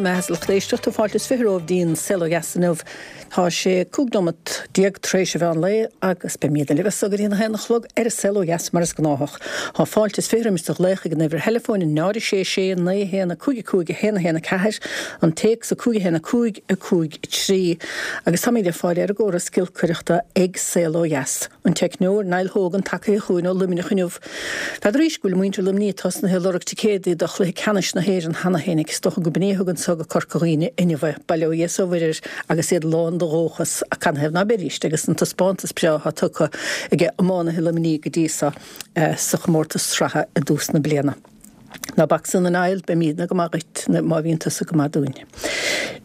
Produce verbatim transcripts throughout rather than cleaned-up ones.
Maith a lucht éisteachta fáilte is fiche romhaibh dtí'n Saol Ó Dheas inniu. Tá sé cúig nóimeat déag tar éis an mheán lae agus beimid libh go dtí a haon a chlog ar an Saol Ó Dheas mar is gnáthach. Tá fáilte is fiche roimis do ghlaoch ag an uimhir theileafóin náid sé sé naoi haon cúig cúig haon haon ceathair an téacs a cúig haon cúig a cúig trí agus táimid ar fáil ar an gcóras giolcaireachta ag Saol Ó Dheas. An teicneoir Niall Hogan tacaithe chugainn ó Luimneach inniu. N'fheadar arís go bhfuil muintir Luimnigh tosnaithe ag lorg ticéadaí do chluiche ceannais na hÉireann cheana féin is dócha go b'in é a thugann so go Corca Dhuibhne inniu bail ó Dhia is ó Mhuire agus iad lán de dhóchas a canathaobh ná beidís agus an taispeántas breá atá tugtha ag iománaithe Luimnigh go dtí seo eh, sa chomórtas sraithe i dtús na bliana. Ná bac san a Niall beimidne go maith duit má bhíonn tusa go maith dúinn.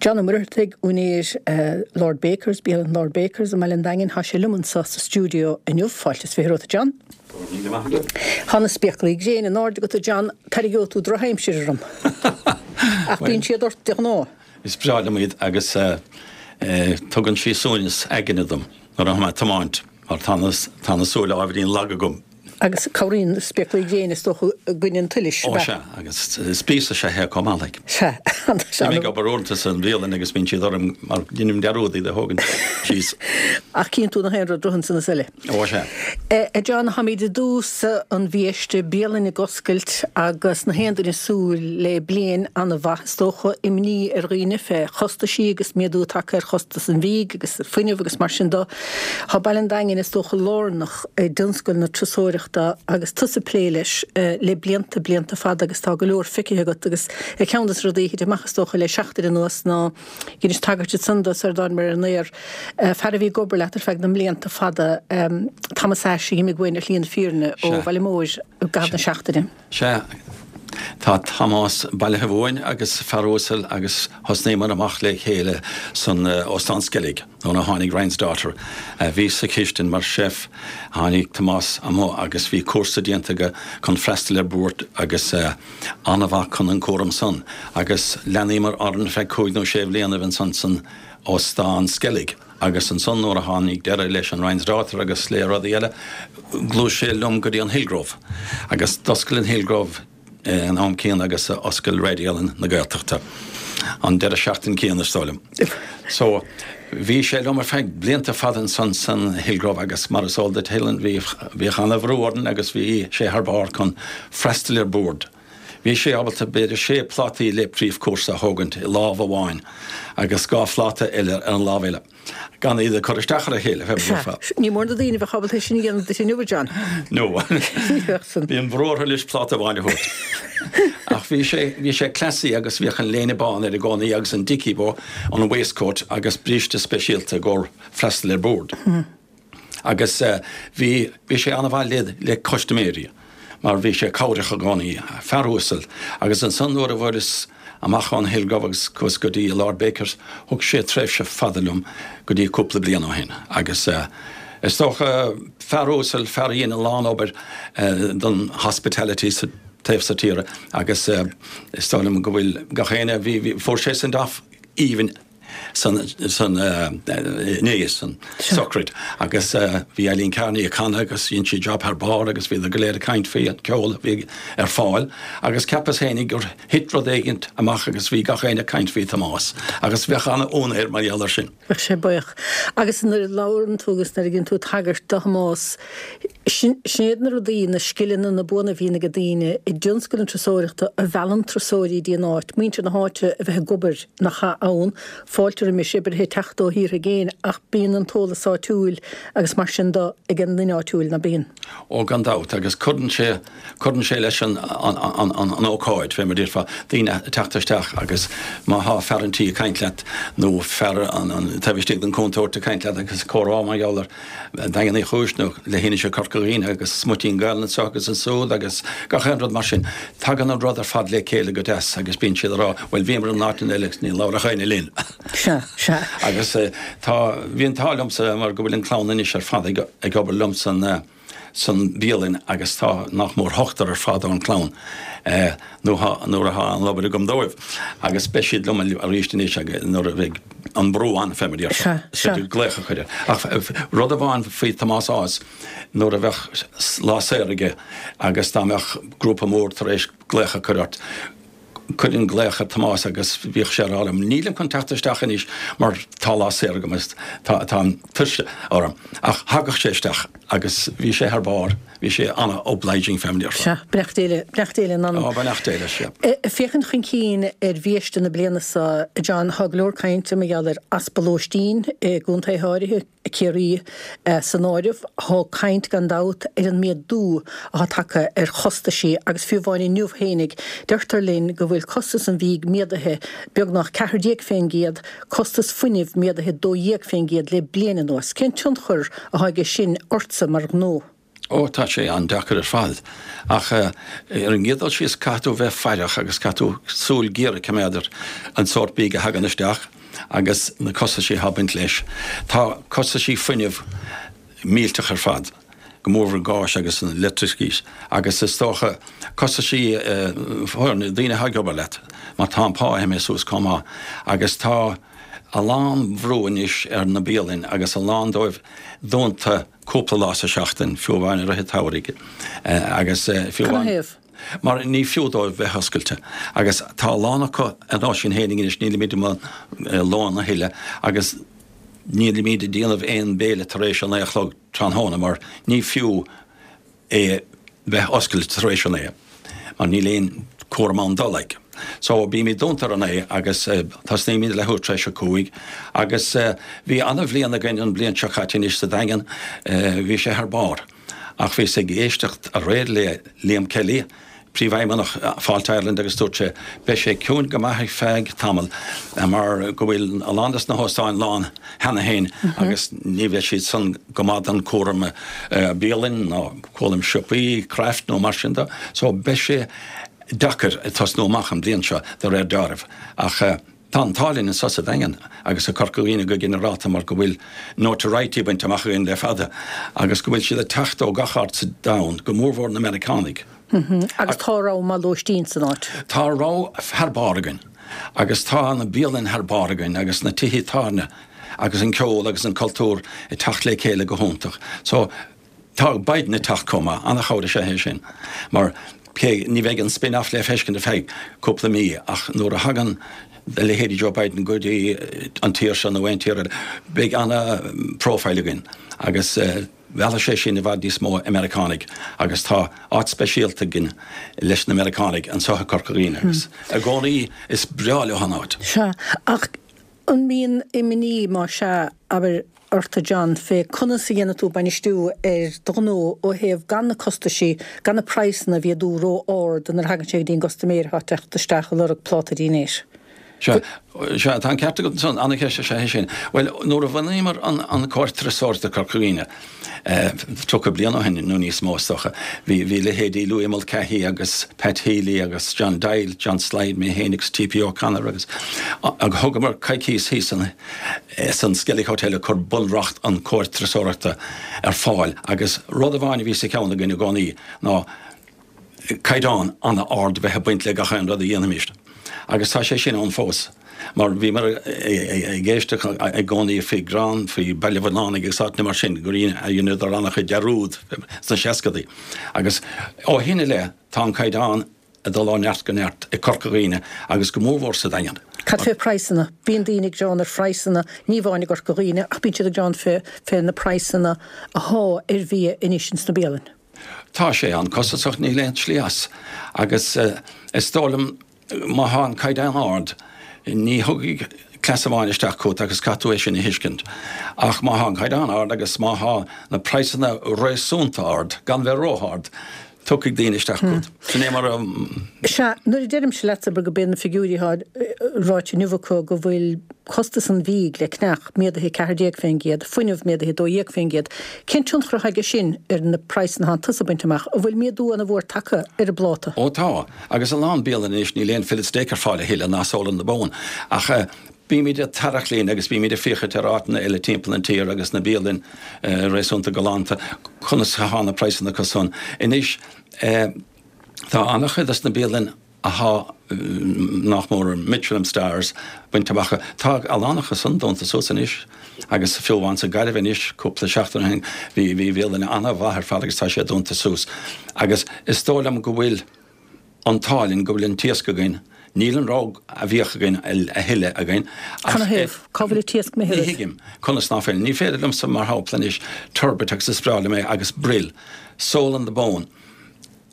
John Ó Muircheartaigh úinéir uh, Lord Bakers, bialann Lord Bakers i mBaile an Daingin tá sé liom anseo sa stiúideo inniu fáilte is fiche romhat John. Tá na spéaclaí gréine in airde agat John tarraingeoidh tú drochaimsir orm. Ach bíonn siad ort de ghnáth. Is breá liom iad agus uh, uh, tugann sí suaimhneas aigne dom nuair atá mé ag tiomáint mar tá tá na súile ábhairín lag agam. Agus cabhraíonn spéaclaí gréine is dócha i gcoinne an tsolais. Ó sea agus spíosa sé he comálaigh. Se Bhí mé obair uaireanta san bhialann agus bíonn siad orm mar deinim dearúd iad a thógaint síos. Ach cíonn tú na haon rud san na eile. Ó sea. A John táimid i dtús an mhí seo bialann ag oscailt agus na haon duine ag súil le bliain an-mhaith is dócha imní ar dhaoine fé chostaisí agus méadú tagtha ar chostas an bhídh agus fuinneamh agus mar sin de. Tá Baile an Daingin is dócha lárnach i dtionscal na turasóireachta agus tusa ag plé leis le blianta blianta fada agus tá go leor feicthe agat agus ag ceann de na rudaí a thit amach is dócha le seachtain anuas ná dheinis tagairt san do ar dán mar an aer fear a bhí ag obair leat ar feadh na mblianta fada Thomas Ashe a d'imigh uainn ar shlí na fírinne ó Bhaile Móir i gcaitheamh na seachtaine. Sea Tá Tomás bailithe uainn agus fear uasal agus thosnaíomar amach le chéile san uh, Óstán Skellig nuair a tháinig Ryan's Daughter. Uh, bhí sa chistin mar chef tháinig Tomás amuigh agus bhí cúrsa déanta aige chun freastal ar bord agus uh, an-mhaith chun an cúram san agus leanamar orainn feadh cúig nó sé bliana ansan san Óstán Skellig. agus ansan nuair a tháinig deireadh leis an Ryan's Daughter agus le rudaí eile, ghluais sé liom go dtí an Hillgrove. Agus d'oscail an Hillgrove an am céanna agus oscail Raidió na Gaeltachta. An deireadh seachtaine céanna is dóigh liom. So bhí sé liom ar feadh blianta fada san san Hillgrove agus mar is eol duit Helen bhí bhí an-bhrú orainn agus bhí sé thar barr chun freastal ar bord. Bhí sé ábalta b'fhéidir sé plátaí le príomhchúrsa a thógaint i lámh amháin agus dhá phláta eile ar an lámh eile. Gan iad a chur isteach ar a chéile. Ní mór do daoine bheith ábalta sin a dhéanamh duit inniu John. No. Bhí an brú orthu leis pláta amháin a thabhairt. Ach bhí sé bhí sé classy agus bhíodh an léine bán air i gcónaí agus an dicky bow an waistcoat agus bríste speisialta gur freastal ar bord. Agus uh, bhí bhí sé an-mhaith le le custaiméirí. mar bhí sé cabhrach i gcónaí fear uasal agus ansan nuair a bhris amach an Hillgrove agus chuas go dtí Lord Bakers thug sé tréimhse fada liom go dtí cúpla bliain ó shin agus uh, is dócha fear uasal fear a dhein a lán obair uh, don hospitality sa taobh sa tíre agus uh, is dóigh liom go bhfuil gach éinne bhí fuair sé send off even san san né san sochraid agus uh, bhí Eileen Carney ag canadh agus dhein sí job thar barr agus bhí go léir ag caint faoi an ceol bhí ar fáil agus ceapas féinig gur thit rud éigint amach agus bhí gach éinne ag caint faoi Tomás agus bheadh an-ionadh air mar gheall air sin. Bheadh sé buíoch. Agus nuair a labhrann tú agus nuair a dhéanann tú tagairt do Thomás sin iad na rudaí na scileanna na buanna a bhíonn ag daoine i dtionscal na turasóireachta a mheallann turasóirí dtí an áit, muintir na háite a bheith ag obair nach ann, fáilte roimis oibrithe teacht ó thíortha i gcéin ach bíonn an t-eolas áitiúil agus mar sin de ag an duine áitiúil ná bíonn. Ó gan dabht agus cuireann sé cuireann sé leis an an, an, an, an ócáid fé mar déarfá daoine teacht isteach agus má thá fear an tí ag caint leat nó fear an, an taobh istigh den cuntar ag caint leat agus comhrá mar gheall ar Daingean Uí Chúis nó leithinis Corca Dhuibhne agus smuitín Gaelainne anseo agus ansiúd agus gach aon rud mar sin. Tagann an rud ar fad le chéile go deas agus bíonn siad ag rá bhuel bhíomar in áit eile ní labhair éinne linn. Sea sea. Agus uh, tá bhí an t-ádh liomsa mar go bhfuil an clann anois ar fad ag, ag obair liom san uh, san bhialann agus tá nach mór ochtar ar fad ón clann uh, nuair atá an obair agam dóibh. Agus beidh siad liom arís anois agus nuair a bheidh an brú ann fé mar glaoch a chur. Ach rud amháin faoi Tomás Ághas nuair a bheadh lá saor aige agus dá mbeadh grúpa mór tar éis glaoch a chur ort. Chuirinn glaoch ar Tomás agus bhíodh sé ag rá liom, 'Nílim chun teacht isteach anois mar tá lá saor agam is tá an tuirse orm. Ach thagadh sé isteach agus bhí sé thar barr, bhí sé an-obliging family ar fad. Sea, beannacht Dé le, beannacht Dé lena anam. Ó, beannacht Dé leis, sea. Ag féachaint chun cinn ar bhiaiste na bliana seo, John, tá go leor cainte mar gheall ar easpa lóistín i gcontaetha áirithe, Ciarraí san áireamh. Tá caint, gan dabht, ar an méadú atá tagtha ar chostaisí agus fiú amháin inniu fhéinig, deirtear linn go bhfuil costas an bhídh méadaithe beagnach ceathair déag fén gcéad, costas fuinnimh méadaithe dó dhéag fén gcéad le bliain anuas. Cén tionchar atá aige sin ortsa mar ghnó? Ó, tá sé an-deacair ar fad. Ach ar an gcéad dul síos, caithfidh tú bheith faireach agus caithfidh tú súil ghéar a choimeád ar an sórt bídh a thagann isteach agus na costaisí atá ag baint leis. Tá costaisí fuinnimh millteach ar fad, go mórmhór an gáis agus an leictreachas agus is dócha costaisí foirne, daoine atá ag obair leat, mar tá an pá imithe suas chomh maith agus tá a lán bhrú anois ar na bialainn agus a lán dóibh dúnta cúpla lá sa seachtain, fiú amháin i rith an tsamhraidh agus fiú amháin. Canathaobh? Mar ní fiú dóibh bheith oscailte. Agus tá a lán acu ar nós sinn fhéinig anois, nílimid i mbun lóin a thuilleadh agus nílimid ag déanamh aon béile tar éis a naoi a chlog tráthnóna mar ní fiú é bheith oscailte tar éis a naoi mar níl aon cúram ann dul like. So bímid dúnta ar a naoi agus tosnaímid leathuair tar éis a cúig agus bhí ana-bhliain againn an bhliain seo caite anois sa Daingean, bhí sé thar barr. Ach bhíos ag éisteacht aréir le Liam Kelly, Príomhfheidhmeannach Fáilte Ireland agus dúirt sé, beidh sé ciúin go maith ar feadh tamaill mar go bhfuil a lán des na hóstáin lán cheana féin agus ní bheidh siad san go maith don cúram bialainn ná cúram siopaí, craft nó mar sin de. So beidh sé deacair tosnú amach an bhliain seo de réir deáraimh. Ach tá an t-ádh linn anso sa Daingean agus i Corca Dhuibhne go ginearálta mar go bhfuil notoriety bainte amach againn le fada agus go bhfuil siad ag teacht ó gach áit sa domhan, go mórmhór na Meiriceánaigh. Agus tá rogha maith lóistín san áit. Tá rogha thar barr againn agus tá na bialainn thar barr againn agus na tithe tábhairne agus an ceol agus an cultúr ag teacht le chéile go hiontach. So tá Biden ag teacht chomh maith, an-chabhair is ea é sin mar cé ní bheidh an spin-off le feiscint ar feadh cúpla mí ach nuair a thagann a leithéidí Joe Biden go dtí an tír seo nó aon tír eile beidh ana-profile againn agus mheallfaidh sé sin i bhfad níos mó Meiriceánaigh agus tá áit speisialta againn leis na Meiriceánaigh anseo i Corca Dhuibhne agus i gcónaí is breá leo an áit. Sea, ach an mbíonn imní, má sea, abair, ort a John, fé conas a dhéanfaidh tú bainistiú ar do ghnó ó thaobh gan na costaisí, gan na praghsanna a mhéadú ró-ard nuair a thagann sé go dtí an gcustaiméir atá ag teacht isteach ag lorg pláta dinnéir? Sea, sea, tá an ceart agat ansan, an-cheist is ea é sin. Bhuel, nuair a bhunaíomar an, an Comhar Turasóireachta Corca Dhuibhne, tríocha bliain ó shin nó níos mó is dócha, bhí, bhí leithéidí Louis Mulcahy agus Pat Healy agus John Doyle, John Slide, mé féin agus T.P. O'Connor agus, agus thugamar coicíos thíos san, san Skellig Hotel ag cur bunreacht an Chomhair Turasóireachta ar fáil agus rud amháin a bhí sa cheann againn i gcónaí ná caighdeán an-ard a bheith ag baint le gach aon rud a dhéanfaimis. Agus tá sé sin ann fós, mar bhíomar ag éisteacht i gcónaí faoi Ghran, faoi Baile Bhuirneánaigh agus áiteanna mar sin, gur dheineadar an-chuid dearúd sna seascadaí. Agus ó shin i leith tá an caighdeán ag dul ó neart go neart i Corca Dhuibhne agus go mórmhór sa Daingean. Cad fé phraghsanna? Bíonn daoine ag gearán ar phraghsanna, ní amháin i gCorca Dhuibhne, ach bíonn siad ag gearán fé fé na praghsanna athá ar bhia anois ins na bialainn. Tá sé an-costasach, níl aon tslí as. Agus is dóigh liom má thá an caighdeán ard, ní thiocfaidh cleas amháin isteach chugat agus caithfidh tú é sin a thuiscint. Ach má thá an caighdeán ard agus má thá na praghsanna réasúnta ard, gan bheith ró-ard, tiocfaidh daoine isteach chugat. Sin é mar a. Sea, nuair a deirimse leatsa abair gurb iad na figiúirí atá ráite inniu acu go bhfuil costas an bhídh le ceannach méadaithe ceathair déag fén gcéad, fuinneamh méadaithe dó dhéag fén gcéad, cén tionchar atá aige sin ar na praghsanna atánn tusa ag baint amach? An bhfuil méadú ana mhór tagtha ar an bpláta? Ó tá, agus a lán bialann anois níl aon fillet steak ar fáil a thuilleadh ná sole on the bone. Ach bímid ag tarrac linn agus bímid ag féachaint ar áiteanna eile timpeall an tír agus na bialainn réasúnta galánta, conas athá na praghsanna acu san. Anois tá an-chuid dos na bialainn athá nach mór Michelin stars bainte amach acu, tá a lán acu san dúnta suas anois agus fiú amháin sa Gaillimh anois cúpla seachtain ó shin bhí bhí bialann an-mhaith ar fad agus tá sé dúnta suas agus is dóigh liom go bhfuil an t-ádh linn go bhfuil an t-iasc againn, Níl an rogha a bhíodh againn a thuilleadh againn. Canathaobh? Cá bhfuil an t-iasc imithe Ní thuigim conas ná fuil. Ní féidir liomsa, mar shampla anois, turbot agus is breá liom é agus brill, sole on the bone.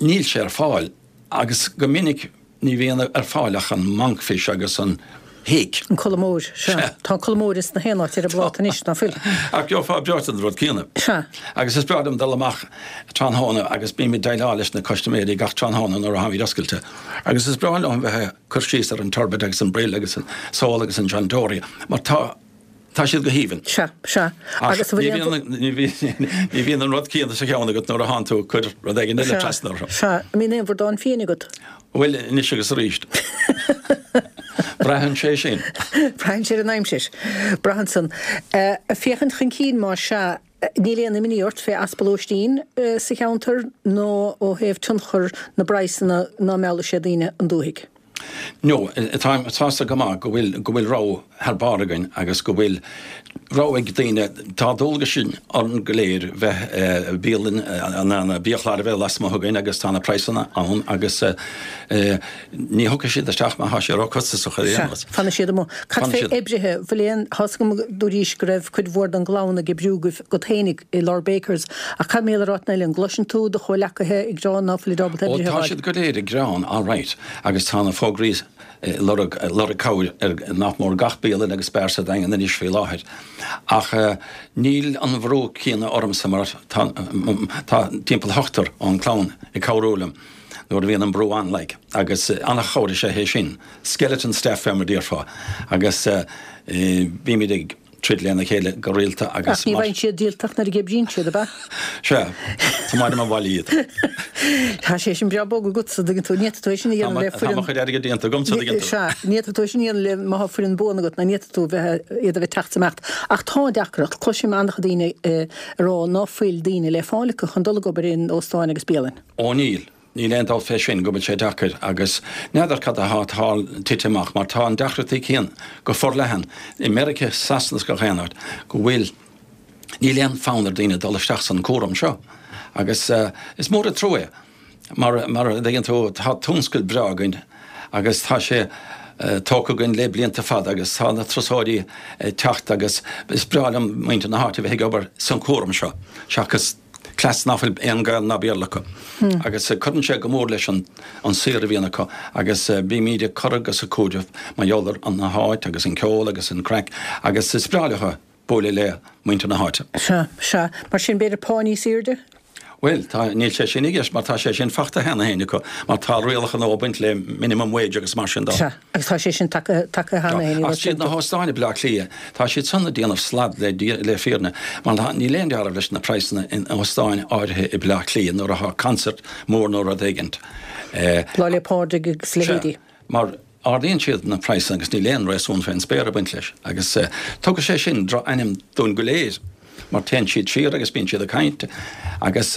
Níl sé ar fáil agus go minic ní bhíonn ar fáil ach an monkfish agus an hake. An colmóir, sea. Tá an colmóir ins na haon áit ar an bpláta anois, ná fuil? Ach gheofá breoite den rud céanna. Sea. Agus is breá liom dul amach tráthnóna agus bím ag déileáil leis na custaiméirí gach tráthnóna nuair a tháimid oscailte. Agus is breá liom bheith ag cur síos ar an turbot agus an brill agus an sól agus an John Dory mar tá tá siad go haoibhinn. Sea, sea. Ach Agus ní bhíonn ní bhíonn ní bhíonn an rud céanna sa cheann agat nuair a thánn tú ag cur rud éigin eile trasna orthu. Sea. An mbíonn aon bhradán féin agat? Bhuel, anois agus arís. Braitheann sé sin. Braitheann sé ar an aimsir. Braitheann san. Ag féachaint chun cinn más ea, níl aon imní ort fé easpa lóistín sa cheantar nó ó thaobh tionchar na bpraghsanna ná meallfaidh sé daoine 'on dúthaigh? No, táim sásta go maith go bhfuil, go bhfuil rogha thar barr againn agus go bhfuil rogha ag daoine. Tá dualgais orainn go léir bheith, bialann, na biachláir a bheith lasmuigh againn agus tá na praghsanna ann agus ní thiocfaidh siad isteach má thá sé ró-chostasach ar aon nós. Sea, fanfaidh siad amuigh. Cad fé oibrithe? Bhfuil aon, tá's agam dúraís go raibh cuid mhór den gclann ag oibriú agat fhéinig i Lord Baker's ach cad mar gheall ar áiteanna eile? An gcloiseann tú do chomhleacaithe ag gearán ná fuilid ábalta Ó oibrithe a tá fháil? siad go léir ag gearán, alright, agus tá na fógraí ag lorg, lorg cabhair ar nach mór gach bialann agus beár sa Daingean anois faoi láthair. Ach níl an bhrú céanna ormsa mar tá, tá timpeall ochtar ón clann ag cabhrú liom nuair a bhíonn an brú ann like agus an-chabhair is ea é sin, skeleton staff fé mar a déarfá agus bímid ag. troid lena chéile go rialta agus Ach ní bhfaigheann siad díoltach nuair a oibríonn siad, ab ea? Sea, tiomáinim abhaile iad. Tá sé sin breá bog agatsa, dtuigeann tú. Ní fhéadfadh tú é sin a dhéanamh le foireann. Tá mo chuid airgid déanta agamsa, dtuigeann tú. Sea, ní fhéadfadh tú é sin a dhéanamh le má tá foireann buan agat, ná ní fhéadfadh tú bheith, iad a bheith ag teacht is imeacht. Ach tá deacracht, cloisim an-chuid daoine ag rá ná fuil daoine le fáil acu chun dul ag obair in óstáin agus bialainn. Ó níl. Níl aon dabht fé sin go bhfuil sé deacair agus n'fheadar cad atá tite amach mar tá an deacrachtaí céanna go forleathan i Meirice, Sasana is gach aon áit go bhfuil, níl aon fonn ar daoine dul isteach san cúram seo agus is mór an trua é mar, mar a dtuigeann tú tá tionscal breá againn agus tá sé tógtha againn le blianta fada agus tá na turasóirí ag teacht agus is breá liom muintir na háite a bheith ag obair san cúram seo seachas cleas nach bhfuil aon Gael ná Béarla acu agus cuireann sé go mór leis an saothar a bhíonn acu agus bímid ag cur agus ag cúiteamh mar gheall ar an háit agus an ceol agus an craic agus is breá leo bualadh le muintir na háite. Sea, sea. Mar sin b'fhéidir pá níos airde? Bhuel, tá, níl sé sin i gceist mar tá sé sin fachta cheana féin acu mar tá rialacha nua ag baint le minimum wage agus mar sin de. Sea, agus tá sé sin tagtha cheana féin, Ach siad na hóstáin i Bleá Cliath, tá siad san ag déanamh slad le le fírinne mar tá, níl aon dealramh leis na praghsanna in óstáin áirithe i Bleá Cliath nuair atá concert mór nó rud éigint. Lá 'le Pádraig agus leithéidí. Sea, mar. Ardaíonn siad na praghsanna agus níl aon réasún fén spéir ag baint leis agus tugann sé sin droch-ainm dúinn go léir mar téann siad siar agus bíonn siad ag caint agus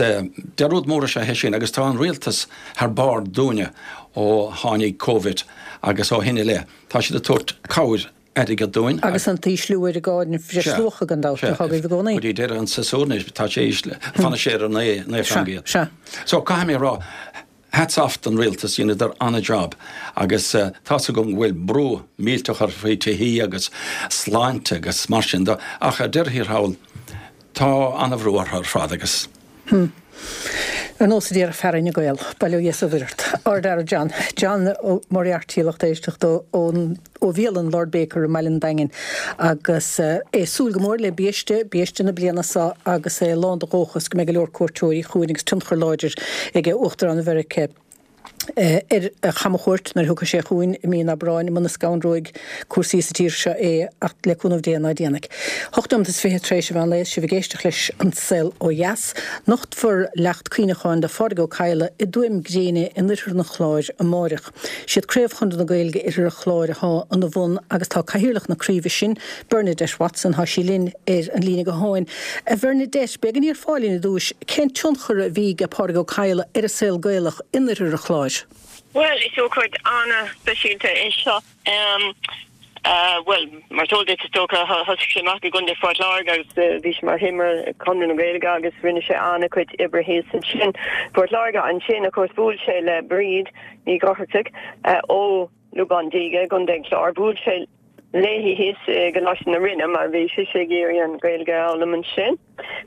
dearúd mór is ea é sin agus tá an rialtas thar barr dúinne ó tháinig Covid agus ó shin i leith tá siad ag tabhairt cabhair airgid dúinn agus. Agus an t-ísliú ar an gcáin bhreisluacha gan dabht atá agaibh i gcónaí. Go dtí deireadh an tséasúir anois tá sé ísle, fanfaidh sé ar naoi naoi faoin gcéad. Sea, sea. So caithfidh mé a rá Hats off don rialtas, dheineadar an-job agus tá's agam go bhfuil brú millteach orthu faoi tithí agus sláinte agus mar sin de ach ar deireadh thiar thall tá an-bhrú orthu ar fad agus. Hm. Ar nós a déarfadh fear Fhine Gael, bail ó Dhia is ó Mhuire ort. Ard-fhear John. John Ó Muircheartaigh lucht éisteachta ón. ó bhialann Lord Baker i mbaile an Daingin agus é ag súil go mór le biaiste, biaiste na bliana seo agus é lán de dhóchas go mbeidh go leor cuairteoirí chugainn agus tionchar láidir ag Uachtarán Mheiriceá ar a chamchuairt nuair a thiocfaidh sé chugainn i mí an Aibreáin, muna scanróidh cúrsaí sa tír seo é ach le cúnamh Dé ná déanfaidh. Hocht nóiméad is fiche tar éis an mheán lae, sibh ag éisteacht leis An Saol Ó Dheas. Nochtfar leacht cuimhneacháin do Phádraig Ó Cadhla i dTuaim Gréine in oirthear an Chláir amáireach. Siad Craobh Chonradh na Gaeilge Oirthear an Chláir athá ina bhun agus tá Cathaoirleach na craoibhe sin, Bernadette Watson, thá sí linn ar an líne gutháin. A Bhernadette, b'fhéidir go ndéarfá linn i dtúis, cén tionchar a bhí ag Pádraig Ó Cadhla ar an saol Gaelach in Oirthear an Chláir? Bhuel, is ócáid an-speisialta é seo. Bhuel, mar is eol duit, is dócha, thosaigh sé amach i gContae Phort Láirge agus bhí sé mar thimire Chonradh na Gaeilge agus rinne sé an-chuid oibre thíos ansin. Port Láirge ansin, of course, bhuail sé le Bríd Ní Dhochartaigh ó Lúbán Díge i gContae an Chláir. Bhuail sé léi thíos i gColáiste na Rinne mar bhí sise ag iarraidh an Ghaeilge a fhoghlaim ansin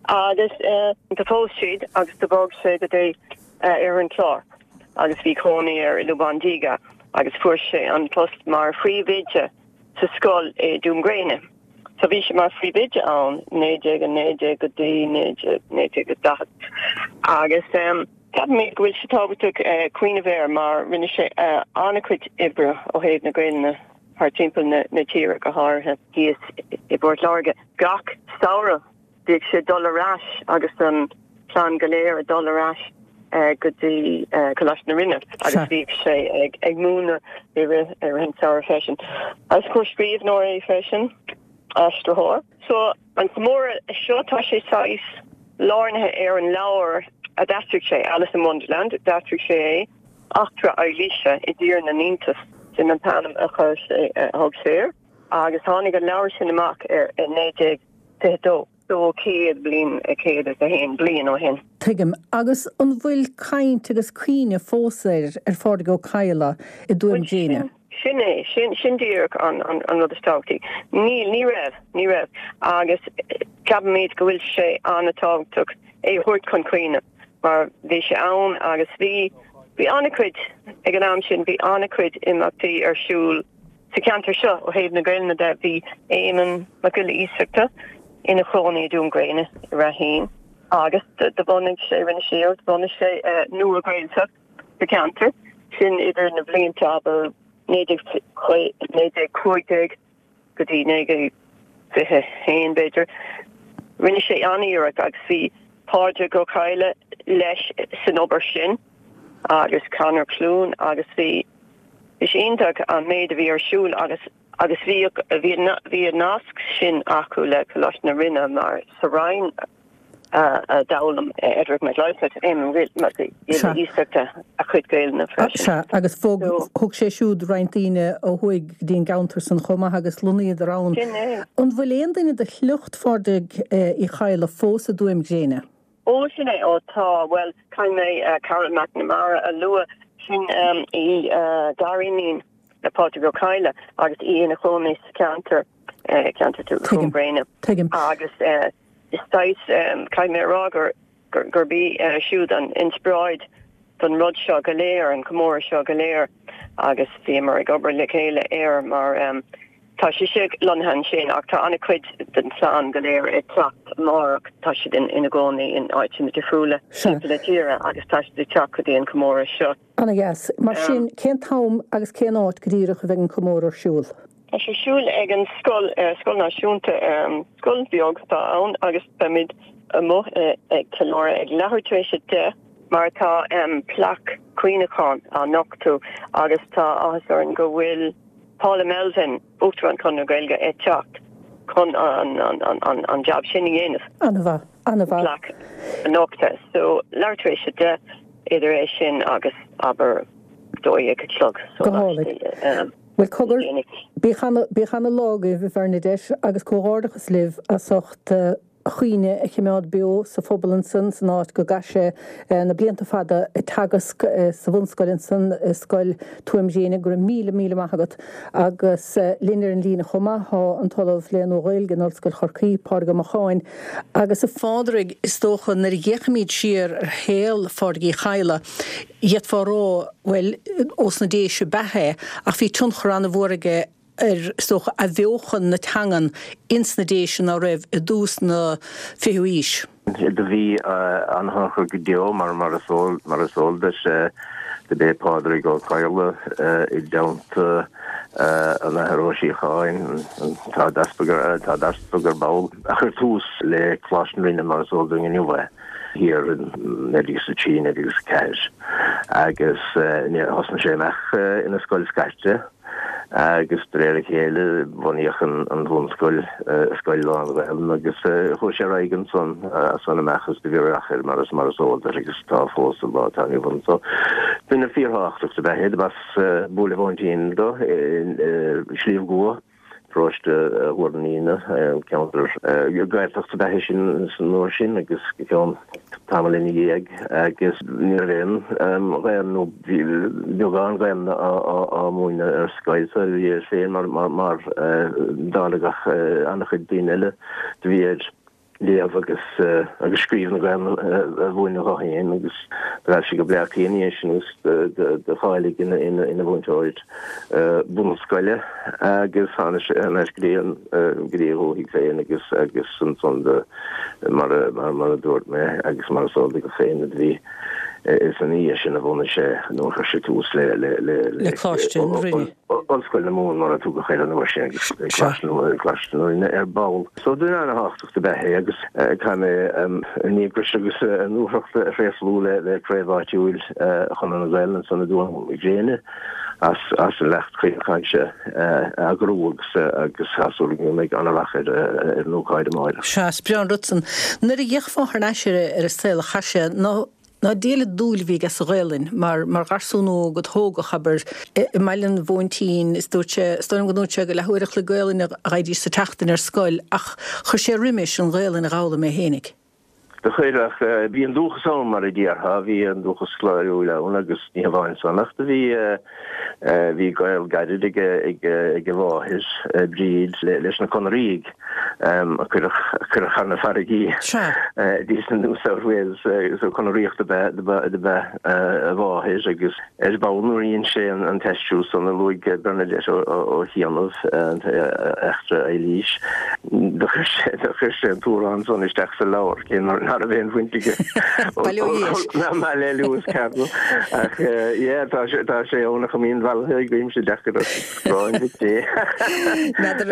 agus do phós siad agus do bhog sé go dtí Oirthear an Chláir agus bhí cónaí air i Lúbán Díge agus fuair sé an post mar phríomhoide sa scoil i Dún Gréine. So bhí sé mar phríomhoide ann naoi déag a naoi déag go dtí naoi déag daichead agus ceapaimid go bhfuil sé tábhachtach cuimhneamh air mar rinne sé an-chuid oibre ó thaobh na Gaelainne thar timpeall na tíre, go háirithe thíos i bPort Láirge. Gach samhradh bhíodh sé ag dul ar ais agus an chlann go léir ag dul ar ais go dtí Coláiste na Rinne agus bhíodh sé ag múineadh i rith an tsamhraidh freisin. Agus scríbhneoir é freisin, aistritheoir. So an comóradh seo tá sé saghas lárnaithe ar an leabhar a d'aistrigh sé, Alice in Wonderland, d'aistrigh sé é, Eachtra Eilíse i dTír na nIontas, sin an t-ainm a chuir sé, a thug sé air, agus tháinig an leabhar sin amach ar i naoi déag fiche dó. So céad bliain, céad is a haon bliain ó shin. Tuigim. Agus an bhfuil caint agus cuimhne fós air, ar Phádraig Ó Cadhla, i dTuaim Gréine? Sin é, sin, sin díreach an, an, an rud is tábhachtaí. Níl, ní raibh, ní raibh. Agus ceapaimid go bhfuil sé an-tábhachtach é a thabhairt chun cuimhne mar bhí sé ann agus bhí, bhí an-chuid, ag an am sin, bhí an-chuid imeachtaí ar siúl sa cheantar seo ó thaobh na Gaelainne de. Bhí Éamonn Mac Giolla Iasachta ina chónaí i dTuaim Gréine i Raheen agus do bhunaigh sé, rinne sé iarracht, bhunaigh sé Nua-Ghaeltacht sa cheantar sin idir na blianta, abair, naoi déag cúig déag go dtí naoi déag fiche haon, b'fhéidir. Rinne sé an-iarracht agus bhí Pádraig Ó Cadhla leis san obair sin agus Conor Clune agus bhí bhí sé iontach an méid a bhí ar siúl agus agus bhí bhí bhí an nasc sin acu le Coláiste na Rinne mar sa Rinn a d'fhoghlaim Edward Mac Lionáird, Éamonn Mac Giolla Iasachta a chuid Gaelainne freisin. Sea, agus thug sé siúd roinnt daoine ó thuaidh go dtí an gceantar san chomh maith agus lonnaíodar ann. Sin é. An bhfuil aon duine de shliocht Phádraig Uí Chadhla fós i dTuaim Gréine? Ó, sin é. Ó, tá. Bhuel, caithfidh mé Carol McNamara a lua. Sin í gariníon le Pádraig Ó Cadhla agus í ina cónaí sa cheantar, ceantar Tuaim Gréine. Tuigim. Agus is saghas, caithfidh mé a rá gur, gurb í siúd an inspioráid don rud seo go léir, an comóradh seo go léir agus bhíomar ag obair le chéile air mar tá sise lonnaithe ansin ach tá an-chuid den chlann go léir ag teacht amárach, tá siad ina gcónaí in áiteanna difriúla timpeall na tíre agus tá siad ag teacht go dtí an comóradh seo. Ana-dheas. Mar sin, cén t-am agus cén áit go díreach a bheidh an comóradh ar siúl? Tá sé ar siúl ag an scoil, scoil náisiúnta, scoil bheag atá ann agus beimid amuigh ag ceiliúradh ag leathuair tar éis a deich mar tá plaic cuimhneacháin á nochtadh agus tá áthas orainn go bhfuil Paula Melvin, Uachtarán Chonradh na Gaeilge, ag teacht chun an jab sin a dhéanamh. An-mhaith, an-mhaith. Plaic a nochtadh. So leathuair tar éis a deich, idir é sin agus abair dó dhéag a chlog. Go hálainn. Bhuel cogar, bíodh ana-lá agaibh, a Bhernadette, agus comhghairdeachas libh as ucht a chuimhne a chimeád beo sa phobal ansan san áit go gcaith sé na blianta fada ag teagasc sa bhunscoil ansan i Scoil Tuaim Ghréine. Go raibh míle míle maith agat. Agus linn ar an líne chomh maith thá an tOllamh le Nua-Ghaeilge in Ollscoil Chorcaí, Pádraig Ó Macháin. Agus a Phádraig, is dócha nuair a fhéachaimid siar ar shaol Phádraig Uí Chadhla, d'fhéadfá a rá, bhuel, ós na Déise ab ea é, ach bhí tionchar an-mhór aige ar, is dócha, athbheochan na teangan ins na Déise ná raibh i dtús na fichiú aois. Do bhí an-thionchar go deo, mar mar is eol mar is eol duit, do b'é Pádraig Ó Cadhla i dteannta an Athar Ó Síocháin, an tArd-Easpag an tArd-Easpag ar ball, a chuir tús le Coláiste na Rinne mar is eol dúinn inniu é, thiar in naoi déag is a trí, naoi déag is a ceathair agus thosnaigh sé amach ina scoil scairte. Agus de réir a chéile bunaíodh an bhunscoil, scoil lán-Ghaelainn, agus chuaigh sé ar aghaidh ansan as san amach agus do bhí rath air mar is mar is eol duit agus tá fós sa lá atá inniu ann. So duine fíorthábhachtach dob ea é. Dob as Buaile Mhóintín dó i Sliabh gCua. paróiste Thuar na Míne, ceantar Gaeltacht ab ea é sin san uair sin agus go ceann tamall ina dhiaidh agus ní raibh aon Ghaeilge nó beagán Gaeilge á múineadh ar scoil so bhí air féin mar mar mar dála gach an-chuid daoine eile do bhí air léamh agus agus scríobh na Gaeilge a mhúineadh dó féin agus d'fhreastail sé go Bleá Cliath ina dhiaidh sin agus do cháiligh ina ina ina mhúinteoir bunscoile agus tháinig sé thar n-ais go dtí an go dtí a dhúthaigh féin agus agus ansan do mar a mar mar a dúirt mé agus mar is eol duit féin do bhí is ina dhiaidh sin a bhunaigh sé nó a chuir sé tús le le le le Coláiste na Rinne. Ollscoil na Mumhan mar a tugadh air an uair sin agus Coláiste na Rinne ar ball. So duine ana-thábhachtach ab ea é agus caithfidh mé a ndíograis agus a ndúthracht a thréaslú le le craobh áitiúil Chonradh na Gaelainne ansan i dTuaim Gréine as as an leacht caoch cainte a eagrú agus agus tá súil agam go mbeidh an-rath ar ar an ócáid amárach. Sea, is breá an rud san. Nuair a d'fhéachfá thar n-ais ar ar a saol a chaith sé, ná Ná diail an dúil a bhí aige sa Ghaelainn, mar mar gharsún óg a tógadh, abair, i mBaile an Mhóintín, is dúirt sé, is dóigh liom go ndúirt sé go leathuair a chloig Gaelainne a fhaighidís sa tseachtain ar scoil, ach chuir sé roimis an Ghaelainn a dh'fhoghlaim é fhéinig. Do chuir, ach bhí an dúchas ann, mar a déarfá, bhí an dúchas cléiriúil ann agus ní hamháin san ach do bhí, bhí gaol gairid ag ag a mháthair, Bríd, leis na Conaraígh. a cuireadh thar na farraigí dtí sna New South Wales so Conaraíoch do ba ea a mháthair agus ar ball nuair a dhein sé an t-aistriú san a luaigh Bernadette ó chianaibh, Eachtra Eilís, do chuir sé an t-amhrán san isteach sa leabhar cé ná raibh aon bhaint aige ná le Lewis Carroll ach yeah tá sé ann ach a mbíonn bhealaithe agaibhse deacair Gráin Mhic Dé.